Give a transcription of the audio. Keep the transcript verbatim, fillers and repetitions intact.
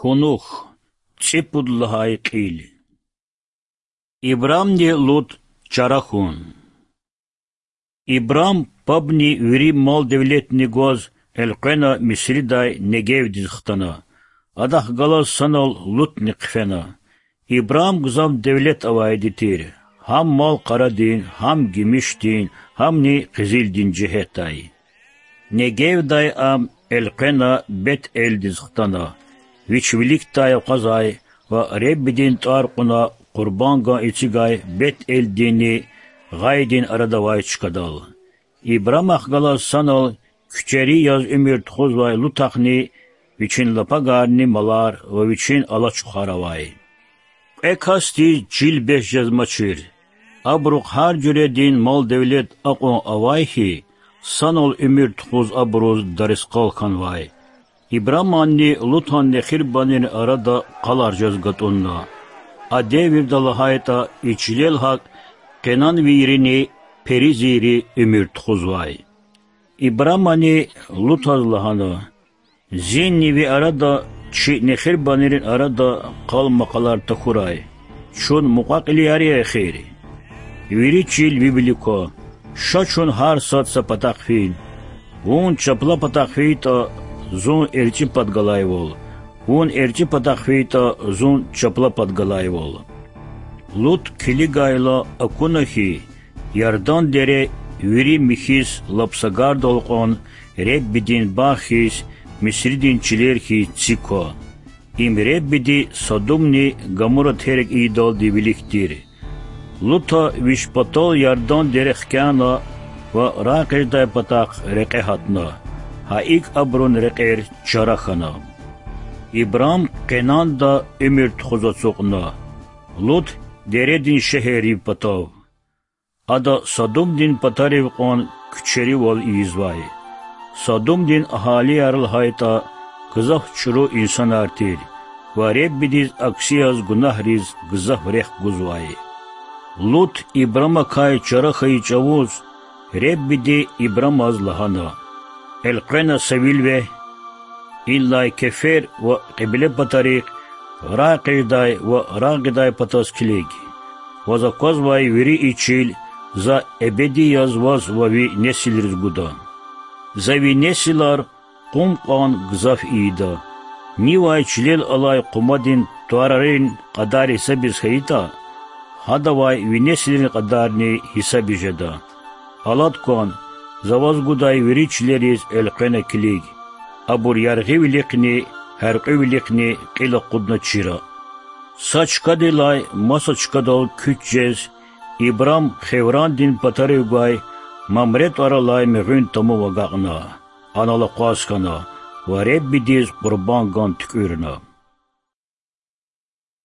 Кьунух, цӀипуд лагьай кьил. Ибрамни Лут чара хьун. Ибрам пабни вири мал-девлетни гваз элкъвена Мисридай Негевдиз хтана. Адахъ галаз санал Лутни хъфена. Ибрам гзаф девлет авайди тир, гьам мал-къарадин, гьам гимишдин, гьамни къизилдин жигьетдай. Негевдай ам элкъвена Бет-Элдиз хтана, вич виликдай акъвазай ва Реббидин тӀвар кьуна къурбанд гун эцигай Бет-Элдинни гъайдин арада авай чкадал. Ибрамахъ галаз санал куьчери яз уьмуьр тухузвай Лутахъни вичин лапагарни малар ва вичин алачухар авай. Кьве касдиз чил бес жезмачир. Абурухъ гьар жуьредин мал-девлет акьван авай хьи, санал уьмуьр тухуз абуруз дарискъал хьанвай. Ибраманни Лутан нехирбанрин арада къалар жез гатӀунна. А девирда лагьайтӀа, и чилел гьакӀ къенанвийрини перизийри уьмуьр тухузвай. Ибрамани Лутаз лагьана: Зинни ви арада чи нехирбанрин арада къал-макъалар тахьурай. Чун мукьва-кьилияр я эхир. Вири чил ви вилик ква. Ша чун гьар сад са патахъ фин. Вун чапла патахъ фейитӀа, зун эрчӀи пад галайвал, вун эрчӀи патахъ фейитӀа, зун чапла пад галайвал. Лут килигайла акуна хьи, Ярдан дере вири михьиз лап сагардал кьван, Реббидин багъ хьиз, Мисридин чилер хьиз цик ква. Им Реббиди Содумни Гамура терг ийидалди вилик тир. Лута вич патал Ярдан дере хкяна ва рагъ къведай патахъ рекье гьатна. Гьа икӀ абурун рекьер чара хьана. Ибрам Къенанда уьмуьр тухуз ацукьна, Лут дередин шегьеррив патав. Ада Содумдин патарив кьван куьчеривал ийизвай. Содумдин агьалияр лагьайтӀа, гзаф чӀуру инсанар тир ва Реббидиз акси яз гунагьриз гзаф рехъ гузвай. Лут Ибрамакай чара хьайи чӀавуз Реббиди Ибрамаз лагьана: Элкъвена са вил вегь, идалай кефер ва кьибле патарихъ, рагъ къведай ва рагъ гъидай патаз килиг. Ваз аквазвай вири и чил За эбеди яз ваз ва ви несилриз гуда. За ви несилар къум кьван гзаф ийида. Нивай чилел алай къумадин тӀварарин кьадар гьисабиз хьайитӀа, гьадавай ви несилрин кьадарни гьисабиз жеда. Алад кван, За ваз гудай вири чилериз элкъвена килиг. Абур яргъивилихъни, гьяркьуьвилихъни кьил акъудна чира. Са чкадилай маса чкадал куьч жез, Ибрам Хеврандин патарив гвай Мамре тӀвар алай мегъуьн тамув агакьна, анал акъваз хьана ва Реббидиз къурбанд гун туькӀуьрна.